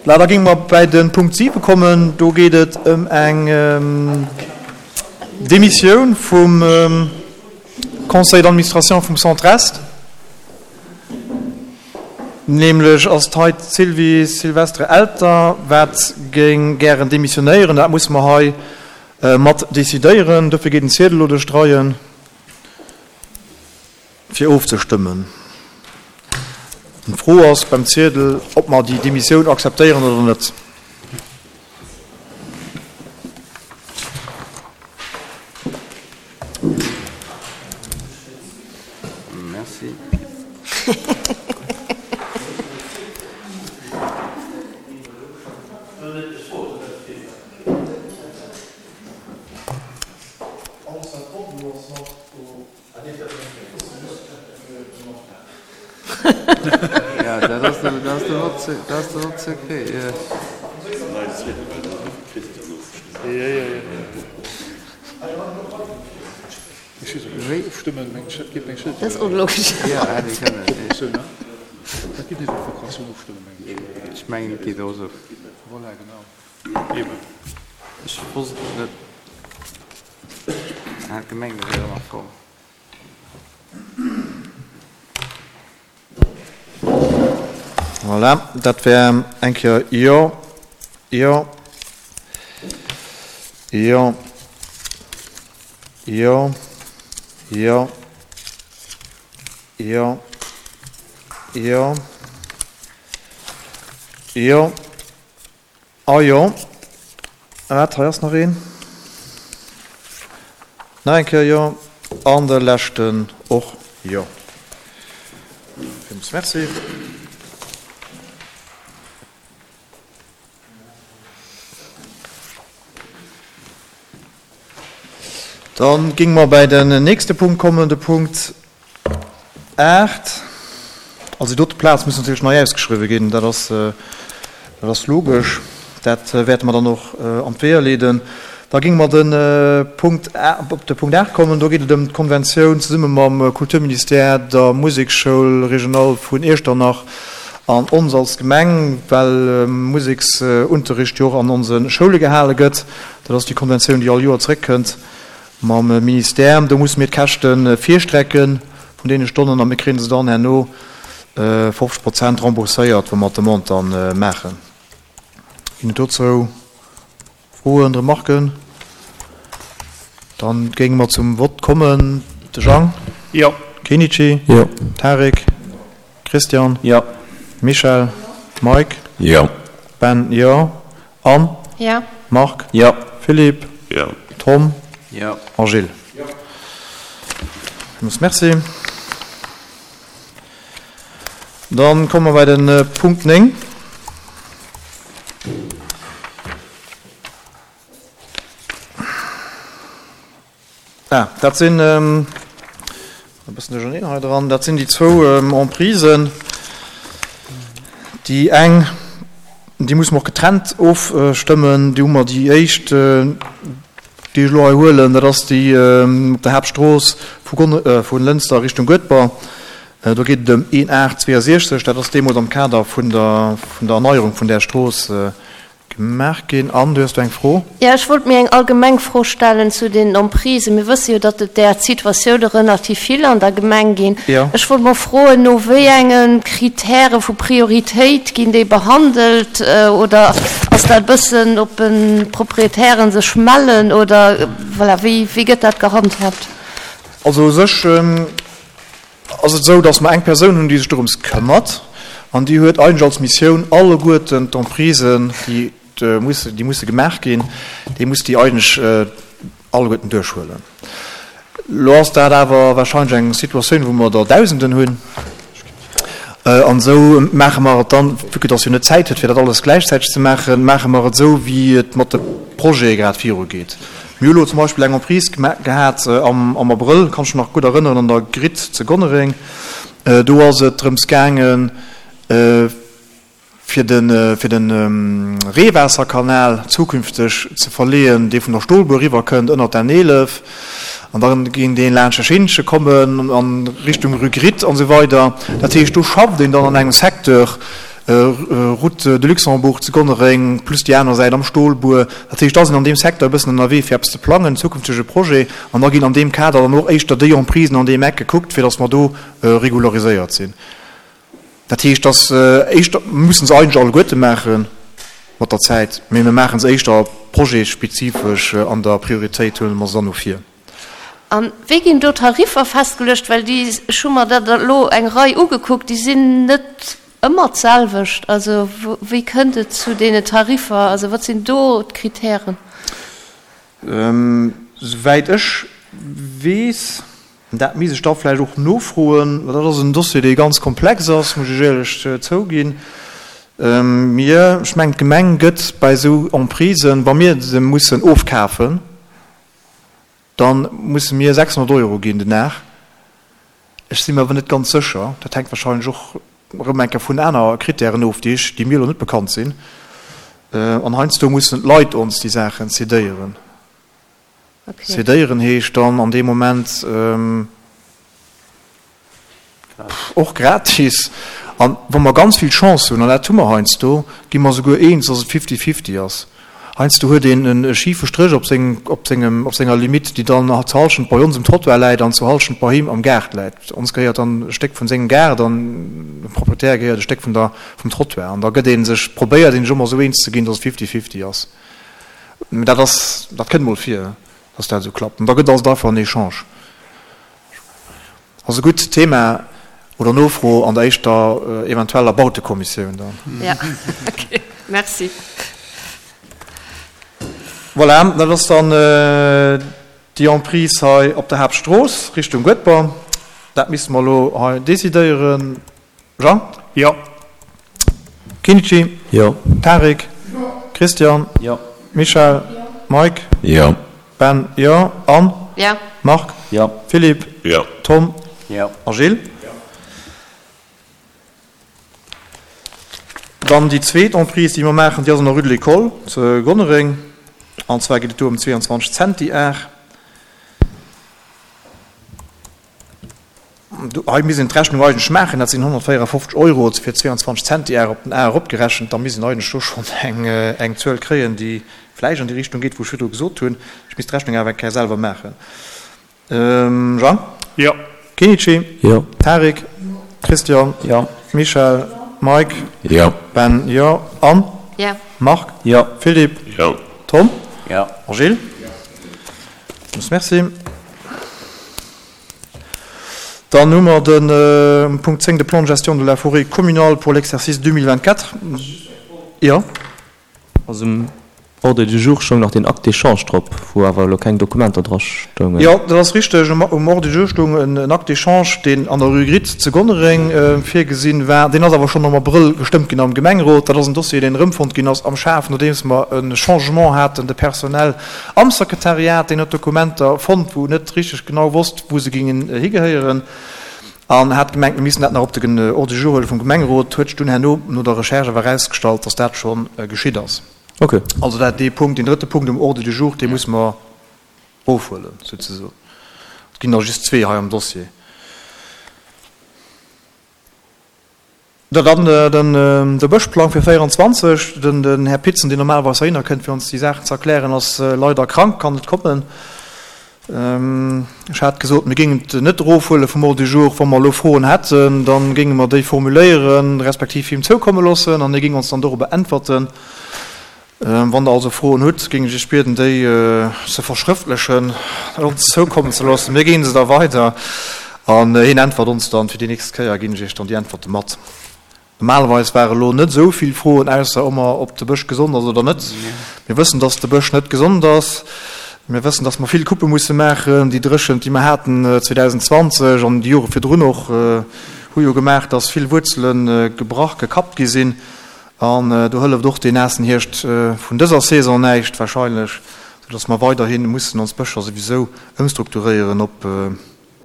Voilà, da géinge mer bäi de Punkt 7 kommen. Do geet et ëm eng Demissioun vum Conseil d'administration vum Centre Est. Nämlech ass et hei d'Sylvie Sylvestre-Elter, wat géing gären demissionéieren. Dat musse mer hei mat decidéieren. Dofir geet den Ziedel elo duerch d'Reien, fir ofzestëmmen. D'Fro ass beim Ziedel, ob mer déi Demissioun akzeptéieren oder net. Merci. Ja, dat ass de, dat ass de Haut, dat ass de Haut Secret, ja. Dat ass onlogesch. Ja, hätt ee kënnen. Ech mengen, et geet och esou. Ech wosst et net. Hat gemengt, et wier ëmmer voll. Voilà, dat wär eng Kéier Jo, Jo, Jo, Jo, Jo, Jo, Jo, Jo. A jo, wat, hei ass nach een. Nach eng Kéier jo. An de leschten och jo. Villmools Merci. Da géinge mer bäi den nächste Punkt kommen, de Punkt 8. Also déi dote Plaz muss natierlech nei ausgeschriwwen ginn, dat ass, dat ass logesch. Dat wäerte mer dann och an d'Weeër leeden. Da géinge mer de Punkt, op de Punkt 8 kommen. Do geet et ëm d'Konventioun zesumme mam Kulturministère, der Museksschoul régionale vun Iechternach an ons als Gemeng, well Museksunterricht jo och an onse Schoule gehale gëtt. Dat ass déi Konventioun, déi all Joer zeréckkënnt mam Ministère. Do musse mir d'Käschte virstrecke vun deene Stonnen a mir kréie se dann herno 50 Prozent rembourséiert, wa mer d'Demande da maachen. Ginn et dozou Froen, Remarken? Dann géinge mer zum Vott kommen. De Jang? Jo. Kenichi? Jo. Tarik? Christian? Jo. Michel? Mike? Jo. Ben? Jo. Anne? Jo. Marc? Jo. Philippe? Jo. Tom? Jo. A Gilles? Jo. Villmools Merci. Dann komme mer bei de Punkt 9. Ah, dat sinn, e bëssen duercherneen hei dran, dat sinn déi zwou Emprisen. Déi eng, déi musse mer och getrennt ofstëmmen. Déi hu mer déi éischt, déi ech elo hei huelen, dat ass déi op der Haaptstrooss vu Gon, vu Lënster Richtung Guedber. Do geet et ëm een 862, dat ass deemools am Kader vun der, vun der Erneierung vun där Strooss Gemaach ginn. Anne, du hues do eng Fro? Jo, ech wollt méi eng allgemeng Fro stellen zu den Emprisen. Mir wësse jo, datt et där Situatioune relativ vill an der Gemeng ginn. Jo. Ech wollt mol froen, no wéi enge Kritäre vu Prioritéit ginn déi behandelt? Oder ass dat e bëssen, ob d'Proprietären sech mellen oder voilà, wéi, wéi gëtt dat gehandhabt? Also u sech ass et esou, dass mer eng Persoun hunn, déi sech dorëms këmmert, an déi huet eigentlech als Missioun, alleguerten d'Emprisen, déi musse, déi musse gemaach ginn, déi muss déi eigentlech alleguerten duerchhuelen. Elo ass dat awer wahrscheinlech eng Situatioun, wou mer der Dausenden hunn, an esou maache mer et dann, vue que dass jo net Zäit huet, fir dat alles gläichzäiteg ze maachen, maache mer et esou, wéi et mat de Projete grad virugeet. Mir hu lo zum Beispill eng Emprise gehat am Abrëll, kann ech mech nach gutt erënneren, an der Gritt zu Gonnereng. Do ass et drëms gaangen, fir de fir de Reewaasserkanal zukünfteg ze verleeën, dee vun der Stolbuer eriwwer kënnt ënnert der N11. An da géing dee laanscht de Scheenche kommen a Richtung Rue Gritt an esou weider. Dat heescht, do schafft een dann an engem Secteur. Route de Luxembourg zu Gonnereng, plus déi aner Säit am Stolbuer. Dat heescht, da sinn an deem Secteur e bëssen ënnerwee fir eppes ze plangen, zukünftege Projet. An da ginn an deem Kader dann och éischter déi Emprisen an deem Eck gekuckt, fir datt mer do regulariséiert sinn. Dat heescht, dass éischter, mir mussen se eigentlech alleguerte maache mat der Zäit, mee mir maache se éischter projetsspezifesch an der Prioritéit huele mer se dann no vir. A wéi ginn do d'Tariffer festgeluecht? Well déi, ech hu mer dat elo eng Rei ugekuckt, déi sinn net ëmmer d'selwecht. Also wéi kënnt et zu deene Tariffer? Also wat sinn do d'Kritären? Souwäit ech weess, dat misst ech da vläicht och nofroen, well dat ass en Dossier, dee ganz komplex ass, muss ech éierlech zouginn. Mir, ech mengen d'Gemeng gëtt bei esou Emprisen, wa mir se mussen ofkafen, da musse mir 600 Euro ginn den Dag. Ech si mir awer net ganz sécher, dat hänkt wahrscheinlech och erëm eng Kéier vun aner Kritären of, déi ech, déi mir elo net bekannt sinn. An heiansdo mussen d'Leit ons déi Saachen cédéieren. Cédéieren heescht dann an deem Moment och gratis. An wa mer ganz vill Chance hunn, an dat hu mer heiansdo, gi mer souguer eens, dass et fifty-fifty ass. Heiansdo huet een e schife Stréch op sengem, op senger Limite, déi dann zur Hallschent bei ons um Trottoir läit an zur Hallschent bei him am Gaart läit. Ons gehéiert dann e Stéck vun sengem Gaart an dem Proprietär gehéiert e Stéck vun der, vum Trottoir. An da gëtt ee sech, probéiert een sech ëmmer esou eens ze ginn, dass et fifty-fifty ass. Mä dat ass, dat kënnt mol vir, dass dat esou klappt. An da gëtt ass et einfach en Echange. Also gutt, Thema oder Nofro an der éischter eventueller Bautekommissioun dann. Ja, okay, merci. Voilà, dat ass dann déi Emprise hei op der Haaptstrooss Richtung Guedber. Dat misste mer elo hei decidéieren. Jean? Jo. Kinichi? Jo. Tarik? Jo. Christian? Jo. Michèle? Jo. Mike? Jo. Ben? Jo. Anne? Jo. Marc? Jo. Philippe? Jo. Tom? Jo. A Gilles? Jo. Dann déi zweet Emprise, déi mer maachen, déi ass an der Rue de l'École zu Gonnereng. An zwar geet et do ëm 22 Zentiar. Hei misst een d'Rechnung eigentlech maachen, dat sinn 154 Euro fir 22 Centiar op den Ar eropgerechent. Da misst een eigentlech do schonn eng Zuel kréien, déi vläicht an déi Richtung geet, wou ech virdru gesot hunn. Ech misst d'Rechnung awer eng Kéier selwer maachen. Jean? Jo. Kenichi? Jo. Tarik? Christian? Jo. Michèle? Mike? Jo. Ben? Jo. Anne? Jo. Marc? Jo. Philippe? Jo. Tom? Jo. A Gilles? Jo. Merci. Dann hu mer de Punkt 10, de Plan de gestion de la forêt communale pour l'exercice 2024. Jo. Also um Ordre du jour stoung nach deen Acte d'échange drop, wou awer elo keng Dokumenter dra stoungen. Jo, dat ass richteg. Um Ordre du jour stoung en Acte d'échange, deen an der Rue Gritt zu Gonnereng virgesinn war. Deen ass awer schonn am Abrëll gestëmmt ginn am Gemengerot. Dat ass en Dossier, deen erëmfonnt ginn ass am Schaf, nodeems mer e Changement haten de personnel Am Sekretariat, deen huet Dokumenter fonnt, wou en net richteg genau wosst, wou se gingen higehéieren, an hat gemengt, mir missten dat nach op den Ordre du jour huele vum Gemengerot, huet sech dunn herno no der Recherche awer erausgestallt, dass dat scho geschitt ass. Ok. Also dat, dee Punkt, deen drëtte Punkt um Ordre du jour, dee musse mer ofhuelen, souzesoen. Et ginn der just zwee hei am Dossier. Dann de Bëschplang fir 24. Den Här Pitzen, deen normalerweis heihinner kënnt, fir ons déi Saachen ze erklären, ass leider krank, kann net kommen. Ech hat gesot, mir géingen et net erofhuele vum Ordre du jour. Wa mer elo Froen hätten, da géinge mer déi formuléieren, respektiv him zoukomme loossen an hie géing ons dann dorobber äntwerten. Wann Der also Froen hutt, géing ech Iech bieden, déi ze verschrëftlechen, ons zoukommen ze loossen. Mir ginn se da weider an hien äntwert ons dann. Fir déi nächst Kéier ginn ech Iech dann déi Äntwerte mat. Normalerweis ware lo net esou vill Froen, ausser ëmmer, ob de Bësch gesond ass oder net. Mir wëssen, dass de Bësch net gesond ass. Mir wëssen, dass mer vill Coupe musse maachen. Déi Dréchent, déi mer haten 2020 an déi Jore virdrun och, hu jo gemaach, dass vill Wuerzele gebrach, gekappt gi sinn. An do hëlleft och deen naassen Hierscht vun dëser Saison näischt wahrscheinlech, soudass mer weiderhi mussen ons Bëscher souwisou ëmstrukturéieren op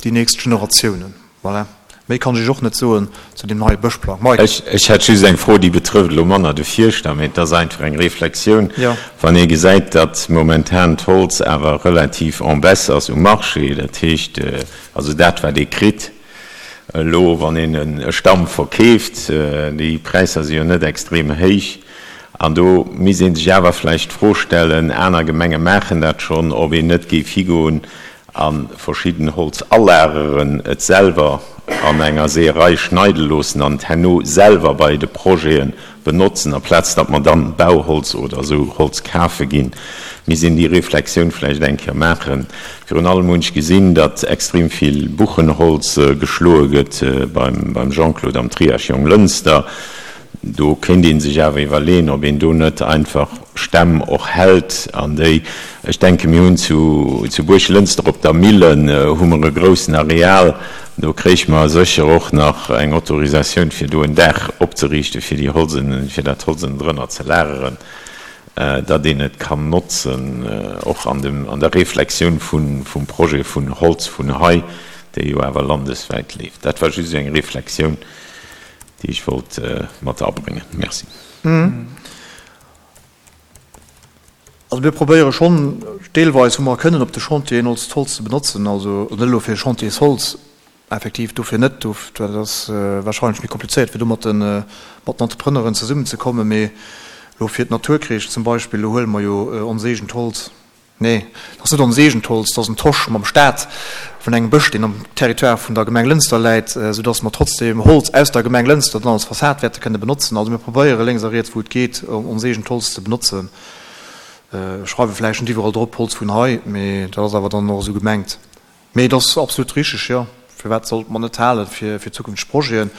déi nächst Generatiounen. Voilà, méi kann ech Iech och net soen zu deem neie Bëschplang. Mike. Ech hätt just eng Fro, déi betrëfft elo manner de Fierschter, mee et ass einfach eng Reflexioun. Wann ee gesäit, datt momentan d'Holz awer relativ en baisse ass um Marché, dat heescht also dat wat ee kritt. Elo wann een e Stamm verkeeft, déi Präisser si jo net extrem héich, an do misst ee sech awer vläicht d'Fro stellen, aner Gemenge maachen dat schonn, ob een net géif higoen a verschidden Holz alageren, et selwer an enger Seeërei schneide loossen an et herno selwer bei de Projete benotzen, aplaz datt mer dann Bauholz oder esou Holz kafe ginn. Misst een déi Reflexioun vläicht eng Kéier maachen. Virun allem hunn ech gesinn, datt extrem vill Buchenholz geschloe gëtt beim Jean-Claude am Triage Jonglënster. Do kéint ee sech awer iwwerleeën, ob een do net einfach Stämm och hält an déi, ech denke mir hunn zu zu Buerglënster op der Millen hu mer e groussen Areal, do kréich mer sécher och nach eng Autorisatioun fir do en Daach opzeriichten, fir déi Holzen, fir dat Holz ënnendrënner ze lageren, datt een et kann notzen, och an dem, an der Reflexioun vun, vum Projet vun Holz vun hei, dee jo awer landeswäit leeft. Dat war just esou eng Reflexioun. déi ech wollt mat abréngen. Merci. Also mir probéiere schonn deelweis, wou mer kënnen, op de Chantieren ons d'Holz ze benotzen. Also net elo fir Chantiersholz, effektiv dofir net, dat ass wahrscheinlech méi komplizéiert, fir do mat den Entrepreneuren zesummenzekommen, mee elo fir d'Naturkreesch zum Beispill, do huele mer jo ons eegent Holz. Nee, dat ass net ons eegent Holz, dat ass en Tosch mam Staat vun engem Bësch, deen am Territoire vun der Gemeng Lënster läit, soudass mer trotzdem Holz aus der Gemeng Lënster dann als Fassad wäerte kënne benotzen. Also mir probéiere lénks a riets, wou et geet, ons eegent Holz ze benotzen. Ech schreiwe vläicht net iwwerall drop, Holz vun hei, mee dat ass awer dann och esou gemengt. Mee et ass absolut richteg, jo. Firwat sollte mer net hale fir zukünfteg Projeten?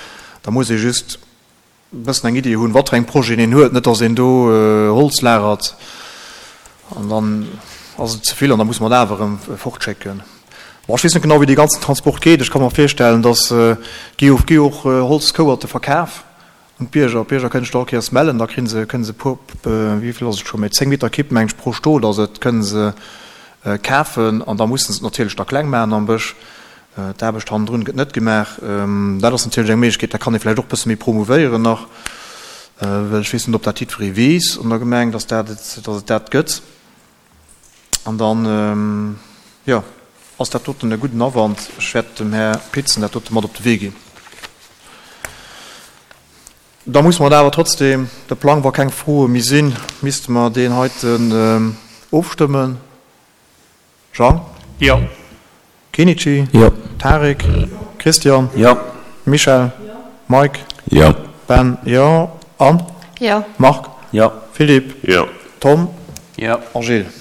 Da muss ee just e bëssen eng Iddi hunn, wat fir eng Projeten een huet, net datt een do Holz lagert an dann ass et ze vill an da musse mer et awer erëm fortschécken. Bon, ech weess net genau, wéi dee ganzen Transport geet. Ech ka mer virstellen, datt d'GOFG och Holzkouerte verkaf un d'Bierger. D'Bierger kënnen sech do all Kéiers mellen, da kri se, kënne se e puer, wéi vill ass et scho méi, 10 Meter Kipp, meng ech, pro Stot ass et, kënne se kafen an da musse se et natierlech da kleng maachen am Bësch. D'Aarbecht hannendrun gëtt net gemaach. Dat ass natierlech eng Méiglechkeet, dat kann ee vläicht och e bësse méi promouvéieren nach, well ech weess net, ob dat jiddweree weess an der Gemeng, dass dat et, dass et dat gëtt. An dann, jo, ass dat doten e gudden Awand. Ech wäert dem Här Pitzen dat dote mat op de Wee ginn. Da musse mer awer trotzdem de Plang, wa keng Froe méi sinn, misste mer deen heiten ofstëmmen. Jean? Jo. Kenichi? Jo. Tarik? Christian? Jo. Michel? Mike? Jo. Ben? Jo. Anne? Jo. Marc? Jo. Philippe? Jo. Tom? Jo. A Gilles?